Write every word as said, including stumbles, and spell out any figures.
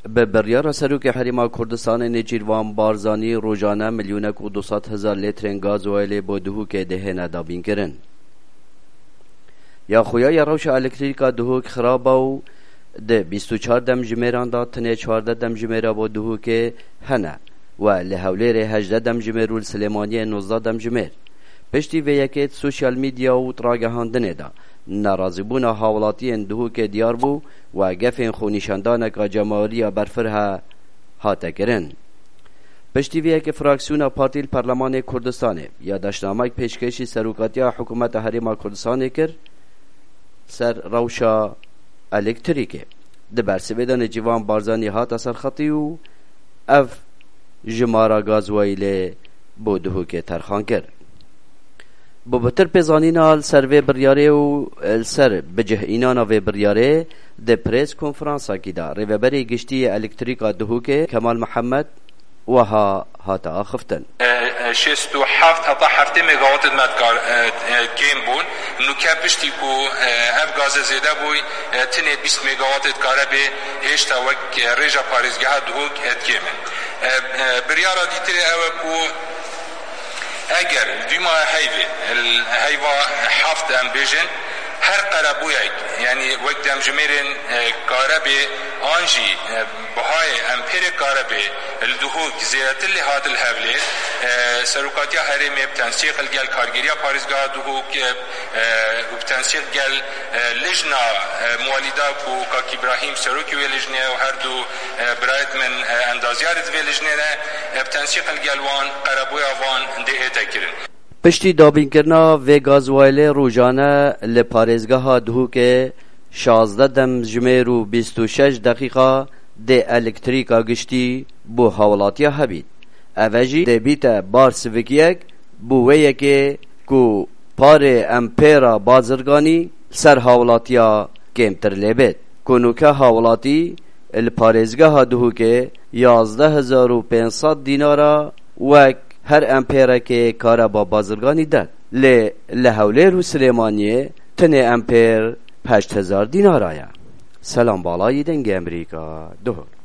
Bi biryara Serokê Herêma Kurdistanê Nêçîrvan Barzanî rojane milyonek û du sed hezar lîtrên gazwayelê bo Duhokê dihêne dabînkirin. Ya xuya ya rewşa elektrîka Duhok xirab e û di bîst û çar demjimêran de tenê çardeh demjimêra bo Duhokê hene we li Hewlêrê hejdeh demjimêr û li Silêmaniyê nozdeh demjimêr. Piştî vê yekê di sosyal medya û di ragihandinê de nerazîbûna hawlatiyên Duhokê diyar bû we gefên xwenîşandaneka cemawerî ya berfireh hate kirin. Piştî vê yekê fraksiyona partî li Perlemanê Kurdistanê ya daşnamek pêşkêşî serokatiya Hikûmeta Herêma Kurdistanê kir ser rewşa elektrîkê. Di bersivê de Nêçîrvan Barzanî hate serxetî û ev jimara gazwayîlê bo Duhokê terxan kir. Bo bitir pêzanîna li ser vê biryarê û li ser bicihînana vê biryarê di prês konferansakî de Rêveberê Giştî yê Elektrîka Duhokê Kemal Mihemed wiha hate axiftin. E, e, şêst û heft heta heftê megawatê me dikar, e, e, kêm bûn. Nûke piştî ku, e, ev gaze zêde bûy, e, tinê bîst megawatê dikare bê hêşta wek, e, rêja parêzgeha Duhok, e, dikêm in. E, e, biryara dîtirê ew e ku eger dûma heyvê, el-, heyva heft em bêjin, her qerebûyek, yanî wek demjimêrên, e, karebê an jî, e, bihayê empêrê karebê li Duhok zêdetir lê hat li Hewlêr, e, serokatiya herêmê bi tensîq li gel kargêriya parêzgeha Duhok, e, e, û bi tensîq gel, e, lijna, e, muwelîda ku Kak Îbrahîm serokê wê lijnê ye û her du, e, birayet min, e, endaziyarê di vê lijnê ne, e, bi tensîq li gel wan qerebûya van dê hête kirin. Piştî dabînkirina vê gazwayelê rojane li parêzgeha Duhokê şazdeh demjimêr û bîst û şeş deqîqa dê elektrîka giştî bo hawlatiya hebît. Ev e jî dê bîte bar sivikiyek bo wê yekê ku parê empêra bazirganî ser hawlatiya kêmtir lê bêt. Ku nûke hawlatî li parêzgeha Duhokê yazdeh hezar û pênc sed dînara wek her empêrekê kareba bazirganî de. Lê li Hewlêr û Silêmaniyê tenê empêr heşt hezar dînara ye. Selam Balayî, Dengê Emerîka, Duhok.